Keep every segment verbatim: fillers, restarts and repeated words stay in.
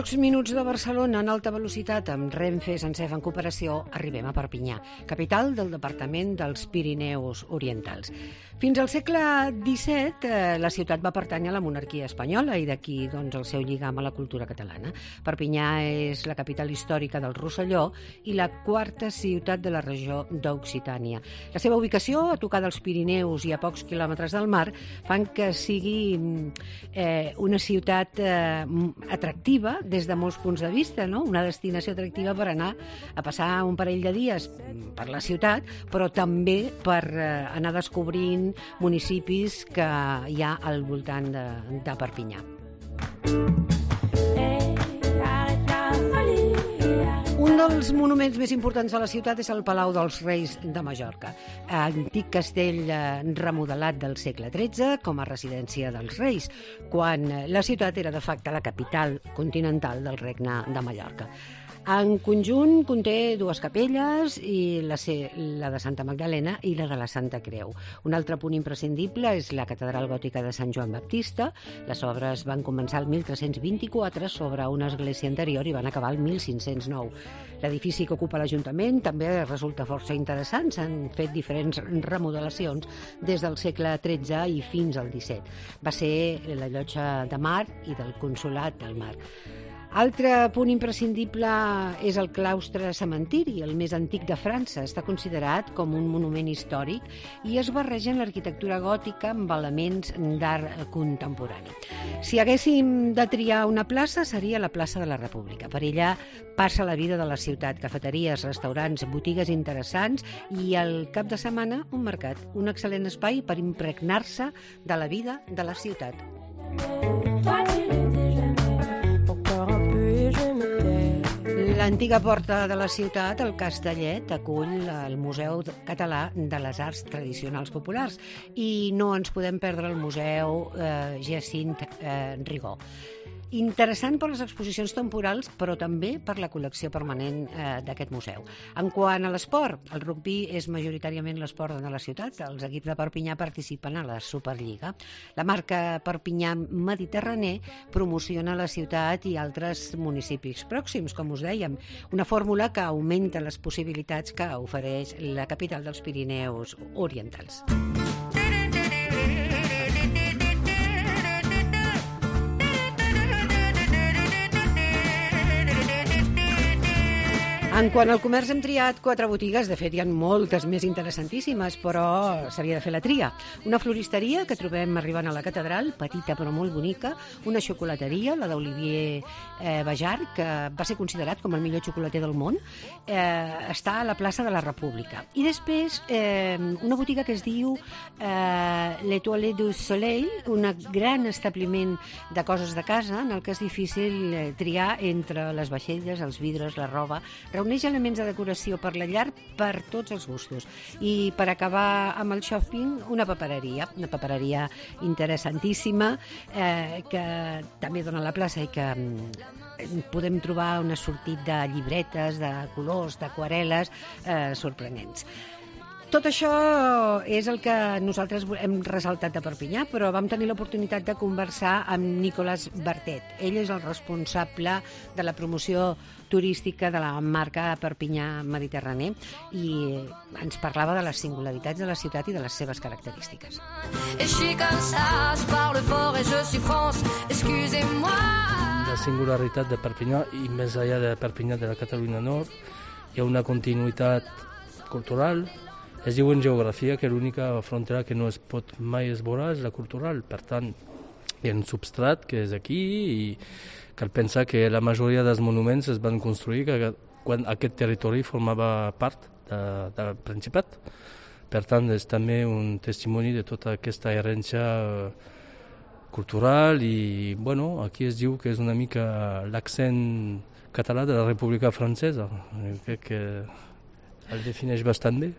pocs minuts de Barcelona en alta velocitat amb Renfe Sencef en cooperació arribem a Perpinyà, capital del departament dels Pirineus Orientals. Fins al segle disset eh, la ciutat va pertànyer a la monarquia espanyola i d'aquí doncs, el seu lligam a la cultura catalana. Perpinyà és la capital històrica del Rosselló i la quarta ciutat de la regió d'Occitània. La seva ubicació, a tocar dels Pirineus i a pocs quilòmetres del mar, fan que sigui eh, una ciutat eh, atractiva des de molts punts de vista, no? Una destinació atractiva per anar a passar un parell de dies per la ciutat, però també per eh, anar descobrint municipis que hi ha al voltant de, de Perpinyà. Un dels monuments més importants de la ciutat és el Palau dels Reis de Mallorca, antic castell remodelat del segle tretze com a residència dels reis, quan la ciutat era de facto la capital continental del Regne de Mallorca. En conjunt conté dues capelles, i la, la de Santa Magdalena i la de la Santa Creu. Un altre punt imprescindible és la catedral gòtica de Sant Joan Baptista. Les obres van començar el mil tres-cents vint-i-quatre sobre una església anterior i van acabar el mil cinc-cents nou. L'edifici que ocupa l'Ajuntament també resulta força interessant. S'han fet diferents remodelacions des del segle tretze i fins al disset. Va ser la llotja de mar i del Consolat del Mar. Altre punt imprescindible és el claustre cementiri, el més antic de França. Està considerat com un monument històric i es barreja en l'arquitectura gòtica amb elements d'art contemporani. Si haguéssim de triar una plaça, seria la plaça de la República. Per ella passa la vida de la ciutat, cafeteries, restaurants, botigues interessants i al cap de setmana un mercat, un excel·lent espai per impregnar-se de la vida de la ciutat. L'antiga porta de la ciutat, el Castellet, acull el Museu Català de les Arts Tradicionals Populars i no ens podem perdre el Museu eh, Jacint eh, Rigó. Interessant per les exposicions temporals, però també per la col·lecció permanent eh, d'aquest museu. En quant a l'esport, el rugbi és majoritàriament l'esport de la ciutat. Els equips de Perpinyà participen a la Superliga. La marca Perpinyà Mediterrani promociona la ciutat i altres municipis pròxims, com us dèiem. Una fórmula que augmenta les possibilitats que ofereix la capital dels Pirineus Orientals. En quant al comerç hem triat quatre botigues, de fet hi ha moltes més interessantíssimes, però s'havia de fer la tria. Una floristeria que trobem arribant a la catedral, petita però molt bonica, una xocolateria, la d'Olivier eh, Bajar, que va ser considerat com el millor xocolater del món, eh, està a la plaça de la República. I després eh, una botiga que es diu eh, L'Étoile du Soleil, un gran establiment de coses de casa en el que és difícil eh, triar entre les vaixelles, els vidres, la roba. Reuneix elements de decoració per la llar per tots els gustos. I per acabar amb el shopping, una papereria, una papereria interessantíssima eh, que també dona a la plaça i que mm, podem trobar un assortit de llibretes, de colors, d'aquarel·les eh, sorprenents. Tot això és el que nosaltres hem ressaltat de Perpinyà, però vam tenir l'oportunitat de conversar amb Nicolas Bertet. Ell és el responsable de la promoció turística de la marca Perpinyà Mediterrani i ens parlava de les singularitats de la ciutat i de les seves característiques. La singularitat de Perpinyà, i més enllà de Perpinyà de la Catalunya Nord, hi ha una continuïtat cultural. Es diu en geografia que l'única frontera que no es pot mai esborar és la cultural. Per tant, hi ha un substrat que és aquí i cal pensar que la majoria dels monuments es van construir quan aquest territori formava part de, del Principat. Per tant, és també un testimoni de tota aquesta herència cultural i, bueno, aquí es diu que és una mica l'accent català de la República Francesa. Crec que el defineix bastant bé.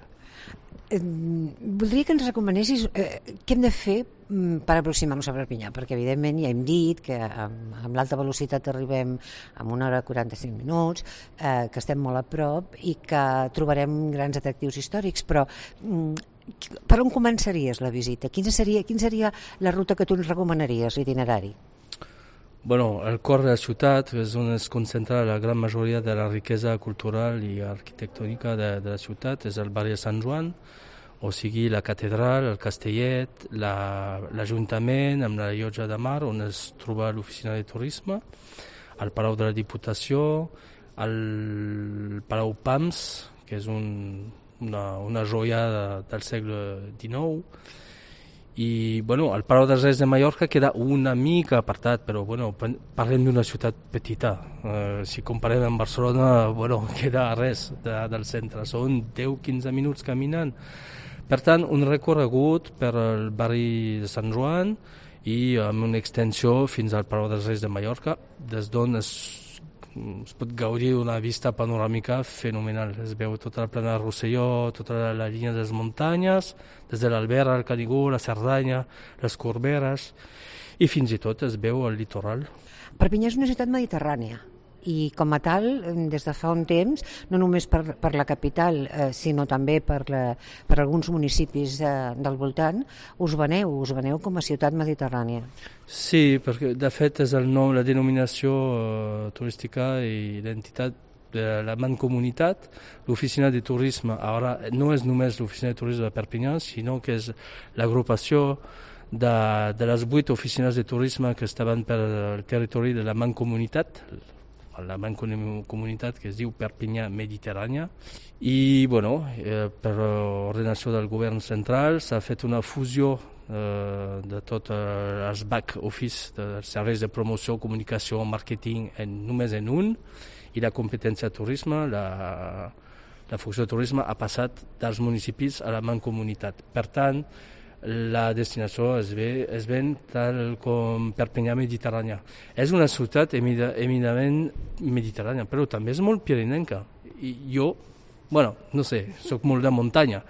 Eh, voldria que ens recomanessis eh, què hem de fer mm, per aproximar-nos a Perpinyà, perquè evidentment ja hem dit que amb, amb l'alta velocitat arribem a una hora quaranta-cinc minuts, eh, que estem molt a prop i que trobarem grans atractius històrics, però mm, per on començaries la visita? Quina seria, quina seria la ruta que tu ens recomanaries, l'itinerari? Bueno, el cor de la ciutat és on es concentra la gran majoria de la riquesa cultural i arquitectònica de, de la ciutat, és el barri de Sant Joan, o sigui la catedral, el castellet, l'Ajuntament la, amb la llotja de mar on es troba l'oficina de turisme, el Palau de la Diputació, el Palau Pams, que és un, una, una joia de, del segle dinou, i bueno, el Palau dels Reis de Mallorca queda una mica apartat, però bueno, parlem d'una ciutat petita. Eh, si comparem amb Barcelona, bueno, queda res de, del centre, són deu a quinze minuts caminant. Per tant, un recorregut per el barri de Sant Joan i amb una extensió fins al Palau dels Reis de Mallorca, des d'on es es pot gaudir d'una vista panoràmica fenomenal. Es veu tota la plana de Rosselló, tota la, la línia de les muntanyes, des de l'Albera, el Canigó, la Cerdanya, les Corberes, i fins i tot es veu el litoral. Perpinyà és una ciutat mediterrània i com a tal, des de fa un temps, no només per, per la capital, eh, sinó també per, la, per alguns municipis eh, del voltant, us veneu, us veneu com a ciutat mediterrània. Sí, perquè de fet és el nom, la denominació uh, turística i identitat de la Mancomunitat. L'oficina de turisme, ara no és només l'oficina de turisme de Perpinyà, sinó que és l'agrupació de, de les vuit oficines de turisme que estaven per el territori de la Mancomunitat, la Mancomunitat que es diu Perpinyà Mediterrània, i bueno, eh, per ordenació del govern central s'ha fet una fusió eh, de tot eh, els back office dels serveis de promoció, comunicació, màrqueting en, només en un, i la competència de turisme, la, la funció de turisme ha passat dels municipis a la Mancomunitat. Per tant, la destinació es, ve, es ven tal com Perpinyà Mediterrània. És una ciutat eminentment mediterrània, però també és molt pirinenca. I jo, bueno, no sé, soc molt de muntanya,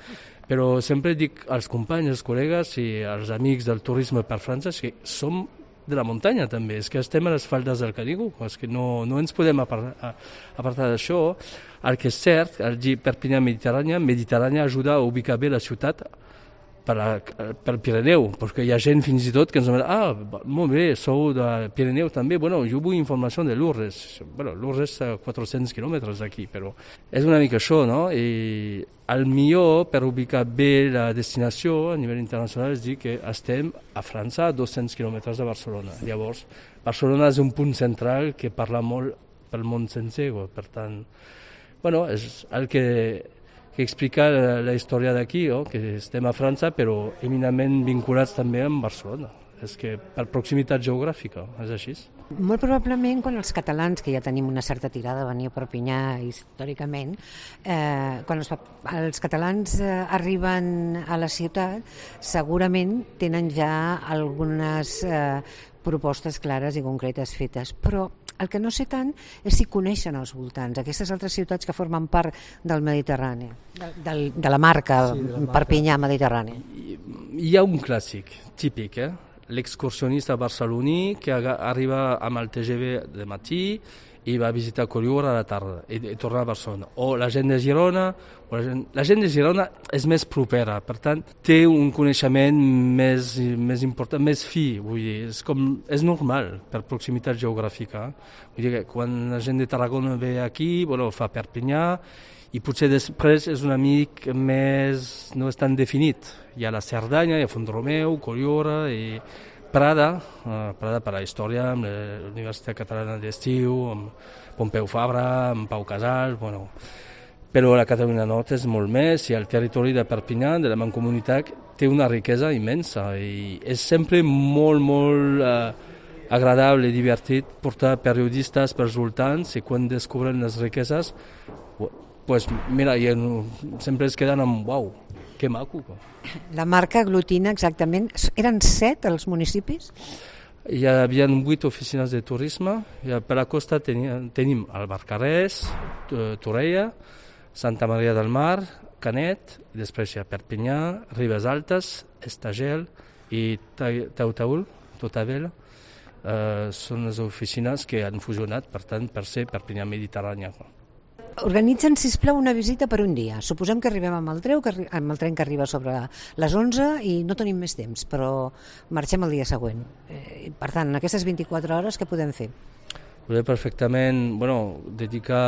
però sempre dic als companys, als col·legues i als amics del turisme per França que som de la muntanya també, és que estem a les faldes del Canigó, és que no, no ens podem apartar, apartar d'això. El que és cert, el dir Perpinyà Mediterrània, Mediterrània ajuda a ubicar bé la ciutat per, la, per Pirineu, perquè hi ha gent fins i tot que ens diuen, ah, molt bé, sou de Pirineu també, bueno, jo vull informació de Lourdes. Bueno, Lourdes està a quatre-cents quilòmetres d'aquí, però és una mica això, no? I el millor per ubicar bé la destinació a nivell internacional és dir que estem a França a dos-cents quilòmetres de Barcelona. Llavors, Barcelona és un punt central que parla molt pel món sencer, per tant, bueno, és el que que explica la, la història d'aquí, oh, que estem a França, però eminentment vinculats també amb Barcelona. És que per proximitat geogràfica, és així. Molt probablement quan els catalans, que ja tenim una certa tirada a venir a Perpinyà històricament, eh, quan els, els catalans eh, arriben a la ciutat, segurament tenen ja algunes eh, propostes clares i concretes fetes, però el que no sé tant és si coneixen els voltants, aquestes altres ciutats que formen part del Mediterrani, de, de, de la marca sí, de la marca. Perpinyà Mediterrani. Hi, hi ha un clàssic típic, eh? L'excursionista barceloní que arriba amb el T G V de matí i va visitar Collioure a la tarda i, i torna a Barcelona. O la gent de Girona, o la, gent, la gent de Girona és més propera, per tant té un coneixement més, més important, més fi, vull dir, és, com, és normal per proximitat geogràfica. Vull dir que quan la gent de Tarragona ve aquí, bueno, fa Perpinyà, i potser després és una mica més, no és tan definit. Hi ha la Cerdanya, hi ha Font-romeu, Collioure i Prada, uh, Prada per la història, amb la Universitat Catalana d'Estiu, amb Pompeu Fabra, amb Pau Casals, bueno. Però la Catalunya Nord és molt més i el territori de Perpinyà, de la Mancomunitat, té una riquesa immensa i és sempre molt, molt uh, agradable i divertit portar periodistes pels voltants i quan descobren les riqueses, pues mira, i sempre es queden amb uau, que maco. La marca aglutina exactament, eren set els municipis? Hi havia vuit oficines de turisme, per la costa tenim, tenim el Barcarès, Torella, Santa Maria del Mar, Canet, i després hi ha Perpinyà, Ribes Altes, Estagel i Tautaül, Totavella. Uh, són les oficines que han fusionat, per tant, per ser Perpinyà Mediterrània. Organitzen, sisplau, una visita per un dia. Suposem que arribem amb el tren, que arri amb el tren que arriba sobre les onze i no tenim més temps, però marxem el dia següent. Eh, per tant, en aquestes vint-i-quatre hores què podem fer? Podem perfectament bueno, dedicar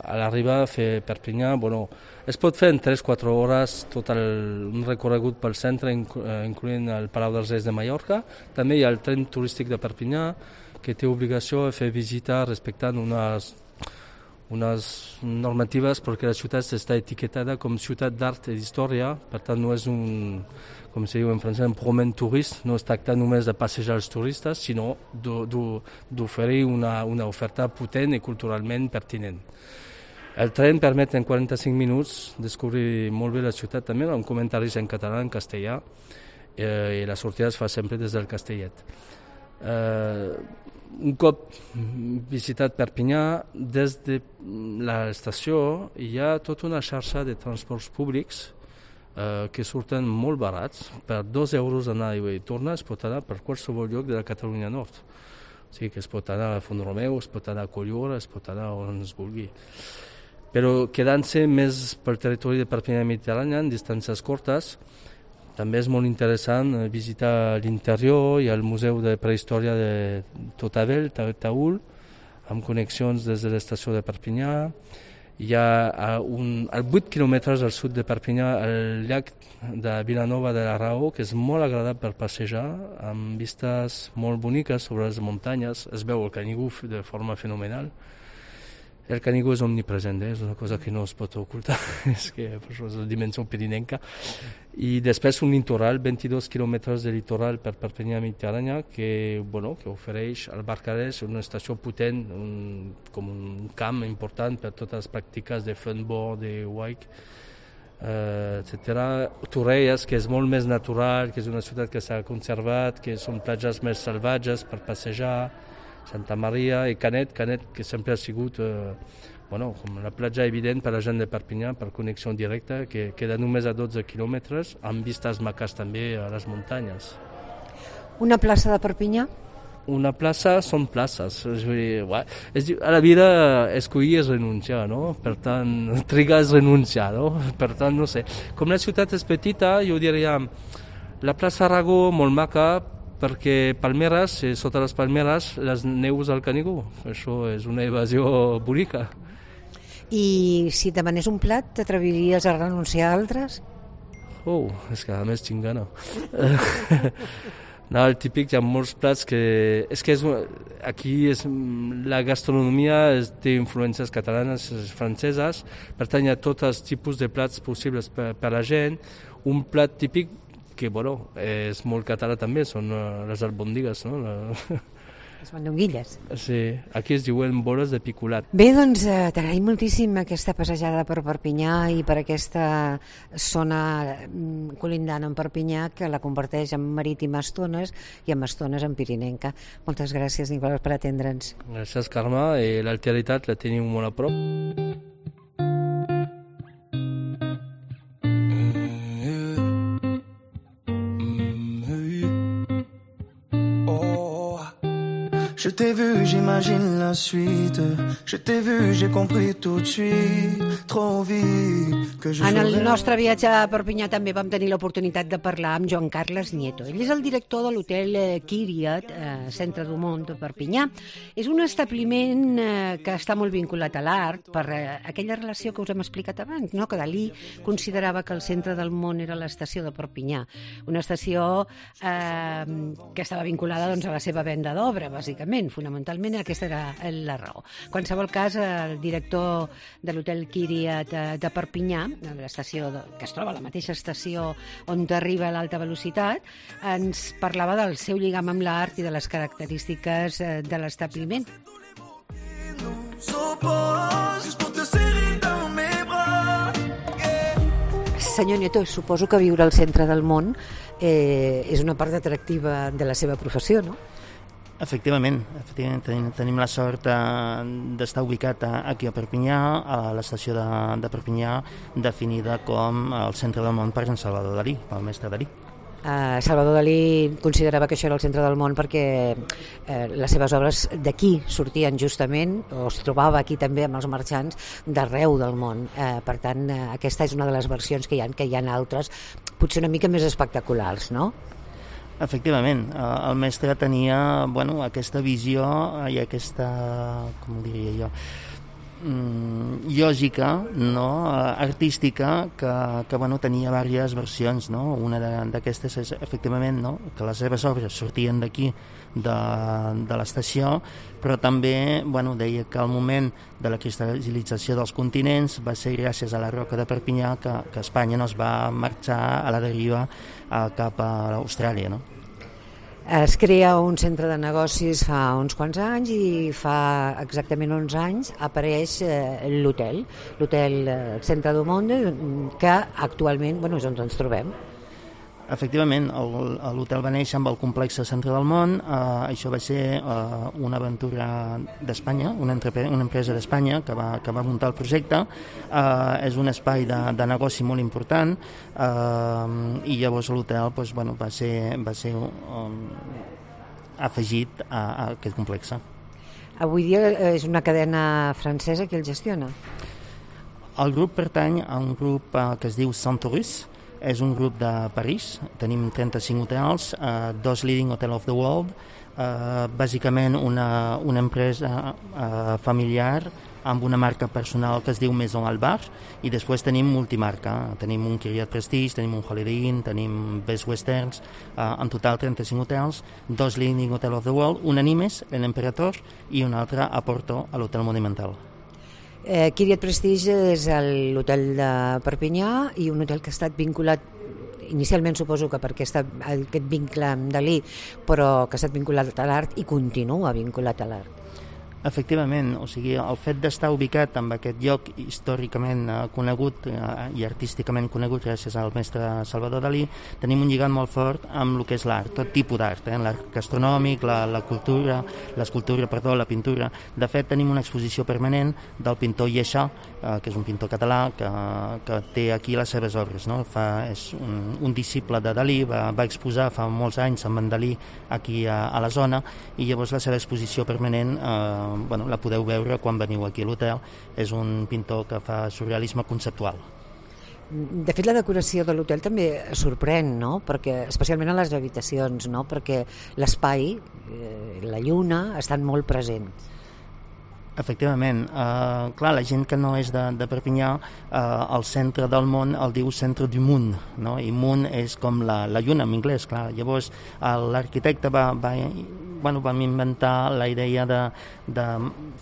a l'arribada a fer Perpinyà. Bueno, es pot fer en tres a quatre hores tot el, un recorregut pel centre, incloent el Palau dels Reis de Mallorca. També hi ha el tren turístic de Perpinyà, que té obligació de fer visita respectant unes, unes normatives perquè la ciutat està etiquetada com ciutat d'art i d'història, per tant no és un, com se diu en francès, un promen turist, no es tracta només de passejar els turistes, sinó d'oferir una, una oferta potent i culturalment pertinent. El tren permet en quaranta-cinc minuts descobrir molt bé la ciutat també, amb comentaris en català, en castellà, eh, i la sortida es fa sempre des del Castellet. Eh, un cop visitat Perpinyà, des de l'estació hi ha tota una xarxa de transports públics eh, que surten molt barats. Per dos euros anar i tornar es pot anar per qualsevol lloc de la Catalunya Nord. O sigui que es pot anar a Font-romeu, es pot anar a Cotlliure, es pot anar on es vulgui. Però quedant-se més pel territori de Perpinyà i Mediterrània, en distàncies curtes, també és molt interessant visitar l'interior. Hi ha el Museu de Prehistòria de Totabel, Taül, amb connexions des de l'estació de Perpinyà. Hi ha a, un, a vuit quilòmetres al sud de Perpinyà el llac de Vilanova de la Raó, que és molt agradable per passejar, amb vistes molt boniques sobre les muntanyes. Es veu el Canigó de forma fenomenal. El Canigó és omnipresent, eh? És una cosa que no es pot ocultar, és que per això és la dimensió pirinenca. I després un litoral, vint-i-dos quilòmetres de litoral per Perpinyà Mediterrània, que, bueno, que ofereix al Barcarès una estació potent, un, com un camp important per totes les pràctiques de funboard, de wake, eh, etcètera. Torrelles, que és molt més natural, que és una ciutat que s'ha conservat, que són platges més salvatges per passejar, Santa Maria i Canet, Canet que sempre ha sigut eh, bueno, com la platja evident per a la gent de Perpinyà, per connexió directa, que queda només a dotze quilòmetres, amb vistes maques també a les muntanyes. Una plaça de Perpinyà? Una plaça són places. És dir, és dir, a la vida escollir és renunciar, no? Per tant, trigar és renunciar, no? Per tant, no sé. Com la ciutat és petita, jo diria la plaça Aragó, molt maca, perquè palmeres, sota les palmeres, les neus al Canigó. Això és una evasió bonica. I si et demanés un plat, t'atreviries a renunciar a altres? Oh, és que a més tinc gana. No, el típic, hi ha molts plats que... És que és, aquí és, la gastronomia és, té influències catalanes, franceses, per tant hi ha tots els tipus de plats possibles per, per la gent. Un plat típic que, bueno, és molt català també, són uh, les albòndigues, no? La... Les mandonguilles. Sí, aquí es diuen boles de picolat. Bé, doncs eh, t'agraïm moltíssim aquesta passejada per Perpinyà i per aquesta zona colindant amb Perpinyà que la converteix en marítima estones i en estones en pirinenca. Moltes gràcies, Nicolás, per atendre'ns. Gràcies, Carme, i l'alteritat la teniu molt a prop. Je t'ai vu, j'imagine la suite. Je t'ai vu, j'ai compris tout de suite, trop vite, que je En el nostre viatge a Perpinyà també vam tenir l'oportunitat de parlar amb Joan Carles Nieto. Ell és el director de l'hotel Kyriot, eh, Centre du Mont de Perpinyà. És un establiment eh, que està molt vinculat a l'art per eh, aquella relació que us hem explicat abans, no? Que Dalí considerava que el centre del món era l'estació de Perpinyà, una estació eh, que estava vinculada doncs, a la seva venda d'obra, bàsicament. Fonamentalment aquesta era la raó. En qualsevol cas, el director de l'hotel Kyriot de Perpinyà, l'estació que es troba a la mateixa estació on arriba l'alta velocitat, ens parlava del seu lligam amb l'art i de les característiques de l'establiment. Senyor Nieto, suposo que viure al centre del món eh, és una part atractiva de la seva professió, no? Efectivament, efectivament tenim, tenim la sort d'estar ubicat aquí a Perpinyà, a l'estació de, de Perpinyà, definida com el centre del món per Jean Salvador Dalí, pel mestre Dalí. Uh, Salvador Dalí considerava que això era el centre del món perquè uh, les seves obres d'aquí sortien justament, o es trobava aquí també amb els marxants d'arreu del món. Uh, per tant, uh, aquesta és una de les versions que hi ha, que hi ha altres, potser una mica més espectaculars, no? Efectivament, el mestre tenia, bueno, aquesta visió i aquesta, com ho diria jo, lògica, no? Artística, que, que bueno, tenia diverses versions, no? Una d'aquestes és efectivament, no? Que les seves obres sortien d'aquí, de, de l'estació, però també, bueno, deia que al moment de la cristal·lització dels continents va ser gràcies a la roca de Perpinyà que, que Espanya no es va marxar a la deriva a, cap a Austràlia, no? Es crea un centre de negocis fa uns quants anys i fa exactament onze anys apareix eh, l'hotel, l'hotel eh, Centre du Monde, que actualment, bueno, és on ens trobem. Efectivament, l'hotel va néixer amb el complex Centre del Món. Eh, això va ser eh, una aventura d'Espanya, una, una empresa d'Espanya que va, que va muntar el projecte. Eh, és un espai de, de negoci molt important, eh, i llavors l'hotel pues, bueno, va ser, va ser um, afegit a, a aquest complex. Avui dia és una cadena francesa que el gestiona? El grup pertany a un grup eh, que es diu Centaurus. És un grup de París, tenim trenta-cinc hotels, eh, dos leading hotel of the world, eh, bàsicament una, una empresa eh, familiar amb una marca personal que es diu Maison Albar, i després tenim multimarca, tenim un Kyriot Prestige, tenim un Holiday Inn, tenim Best Westerns, eh, en total trenta-cinc hotels, dos leading hotel of the world, un a Nimes, l'Emperador, i un altre a Porto, a l'Hotel Monumental. Eh, Kyriot Prestige és l'hotel de Perpinyà i un hotel que ha estat vinculat, inicialment suposo que perquè està aquest vincle amb Dalí, però que ha estat vinculat a l'art i continua vinculat a l'art. Efectivament, o sigui, el fet d'estar ubicat en aquest lloc històricament eh, conegut eh, i artísticament conegut gràcies al mestre Salvador Dalí, tenim un lligam molt fort amb el que és l'art, tot tipus d'art, eh, l'art gastronòmic, la, la cultura, l'escultura, perdó, la pintura. De fet, tenim una exposició permanent del pintor Lleixà, eh, que és un pintor català que, que té aquí les seves obres, no? Fa, és un, un disciple de Dalí, va, va exposar fa molts anys amb en Dalí aquí a, a la zona, i llavors la seva exposició permanent eh, bueno, la podeu veure quan veniu aquí a l'hotel. És un pintor que fa surrealisme conceptual. De fet, la decoració de l'hotel també sorprèn, no? Perquè, especialment a les habitacions, no? Perquè l'espai, eh, la lluna, estan molt presents. Efectivament, eh, clar, la gent que no és de, de Perpinyà, eh, el centre del món el diu centre du monde, no? I món és com la, la lluna en anglès, clar. Llavors l'arquitecte va, va, bueno, vam inventar la idea de, de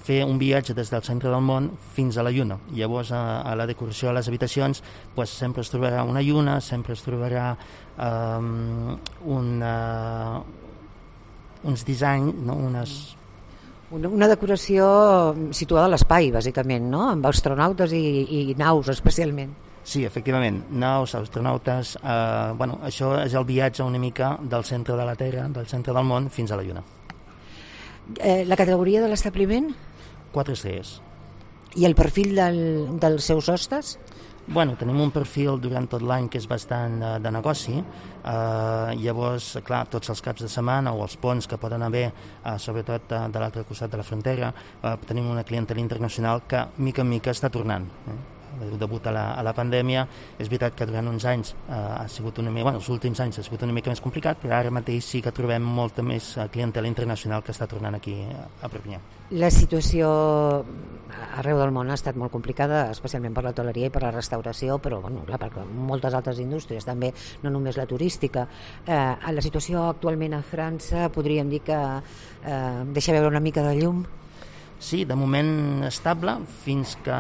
fer un viatge des del centre del món fins a la lluna. Llavors a, a la decoració de les habitacions pues, sempre es trobarà una lluna, sempre es trobarà eh, una, uns dissenys, no? unes Una, una decoració situada a l'espai, bàsicament, no? Amb astronautes i, i naus, especialment. Sí, efectivament, naus, astronautes, eh, bueno, això és el viatge una mica del centre de la Terra, del centre del món, fins a la Lluna. Eh, la categoria de l'establiment? Quatre estrelles. I el perfil del, dels seus hostes? Bueno, tenim un perfil durant tot l'any que és bastant de, de negoci. Eh, llavors, clar, tots els caps de setmana o els ponts que poden haver, eh, sobretot de, de l'altre costat de la frontera, eh, tenim una clientela internacional que mica en mica està tornant. Eh? Degut a la, a la pandèmia, és veritat que durant uns anys eh, ha sigut una mica, bueno, els últims anys ha sigut una mica més complicat, però ara mateix sí que trobem molta més clientela internacional que està tornant aquí a Perpinyà. La situació arreu del món ha estat molt complicada, especialment per l'hoteleria i per la restauració, però bueno, clar, per moltes altres indústries, també, no només la turística. Eh, la situació actualment a França podríem dir que eh, deixa veure una mica de llum. Sí, de moment estable, fins que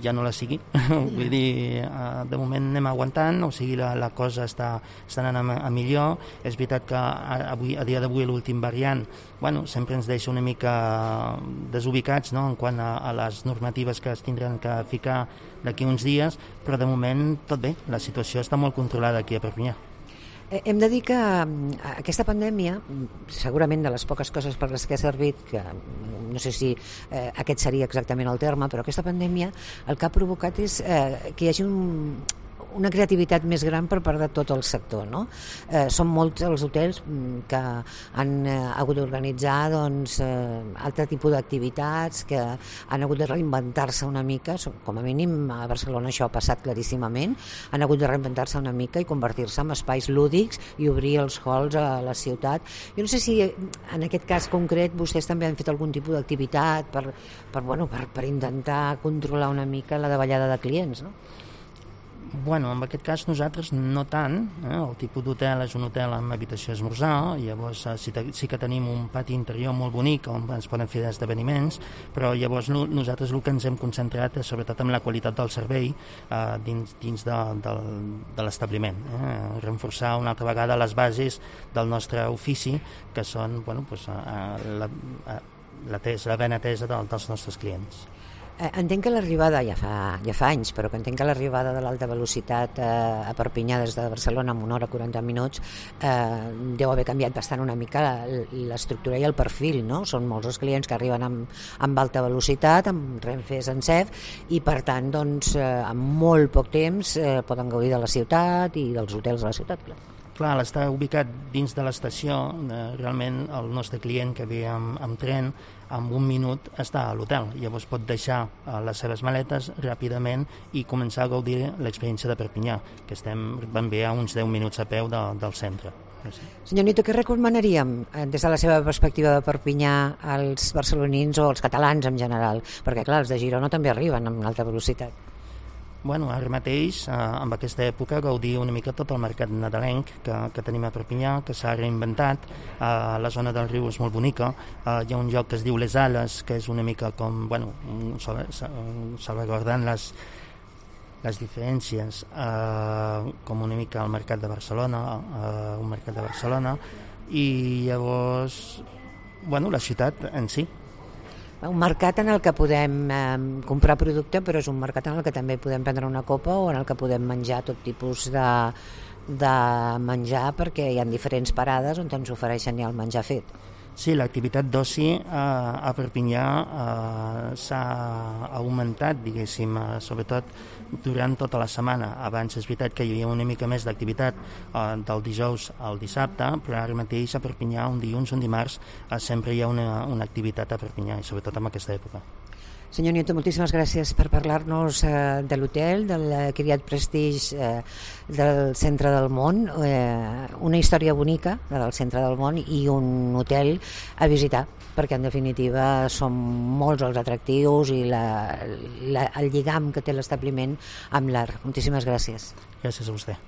ja no la sigui. Vull dir, de moment anem aguantant, o sigui, la, la cosa està, està anant a, a millor. És veritat que avui, a dia d'avui l'últim variant, bueno, sempre ens deixa una mica desubicats, no?, en quant a, a les normatives que es tindran que ficar d'aquí uns dies, però de moment tot bé, la situació està molt controlada aquí a Perpinyà. Hem de dir que aquesta pandèmia, segurament de les poques coses per les que ha servit, que no sé si eh, aquest seria exactament el terme, però aquesta pandèmia el que ha provocat és eh, que hi hagi un, una creativitat més gran per part de tot el sector, no? Eh, són molts els hotels que han eh, hagut d'organitzar doncs, eh, altre tipus d'activitats, que han hagut de reinventar-se una mica, com a mínim a Barcelona això ha passat claríssimament, han hagut de reinventar-se una mica i convertir-se en espais lúdics i obrir els halls a la ciutat. Jo no sé si en aquest cas concret vostès també han fet algun tipus d'activitat per, per, bueno, per, per intentar controlar una mica la davallada de clients, no? Bueno, en aquest cas nosaltres no tant, eh? El tipus d'hotel és un hotel amb habitació esmorzar, llavors sí, sí que tenim un pati interior molt bonic on ens poden fer esdeveniments, però llavors no, nosaltres el que ens hem concentrat és sobretot en la qualitat del servei eh, dins, dins de, de, de l'establiment, eh? Reforçar una altra vegada les bases del nostre ofici, que són, bueno, pues, eh, la, la, la ben atesa de, dels nostres clients. Entenc que l'arribada, ja fa, ja fa anys, però que entenc que l'arribada de l'alta velocitat eh, a Perpinyà des de Barcelona en una hora quaranta minuts eh, deu haver canviat bastant una mica l'estructura i el perfil, no? Són molts els clients que arriben amb, amb alta velocitat, amb Renfe Sencef, i per tant, doncs, eh, en molt poc temps eh, poden gaudir de la ciutat i dels hotels de la ciutat, clar. Clar, l'estar ubicat dins de l'estació, eh, realment el nostre client que ve amb, amb tren, en un minut està a l'hotel. Llavors pot deixar eh, les seves maletes ràpidament i començar a gaudir l'experiència de Perpinyà, que estem ben bé a uns deu minuts a peu de, del centre. Sí. Senyor Nieto, què recomanaríem des de la seva perspectiva de Perpinyà als barcelonins o als catalans en general? Perquè clar, els de Girona també arriben amb alta velocitat. Bueno, ara mateix, eh, en aquesta època, gaudir una mica tot el mercat nadalenc que, que tenim a Perpinyà, que s'ha reinventat. Eh, la zona del riu és molt bonica. Eh, hi ha un lloc que es diu Les Ales, que és una mica com, bueno, salvaguardant les, les diferències, eh, com una mica al mercat de Barcelona, eh, un mercat de Barcelona, i llavors, bueno, la ciutat en si. Un mercat en el que podem eh, comprar producte, però és un mercat en el que també podem prendre una copa o en el que podem menjar tot tipus de, de menjar, perquè hi ha diferents parades on ens ofereixen ja el menjar fet. Sí, l'activitat d'oci eh, a Perpinyà eh, s'ha augmentat, diguéssim, eh, sobretot durant tota la setmana. Abans és veritat que hi havia una mica més d'activitat eh, del dijous al dissabte, però ara mateix a Perpinyà, un dilluns, un dimarts, eh, sempre hi ha una, una activitat a Perpinyà, i sobretot en aquesta època. Senyor Nieto, moltíssimes gràcies per parlar-nos eh, de l'hotel, del Criat Prestige eh, del centre del món, eh, una història bonica, la del centre del món, i un hotel a visitar, perquè en definitiva són molts els atractius i la, la, el lligam que té l'establiment amb l'art. Moltíssimes gràcies. Gràcies a vostè.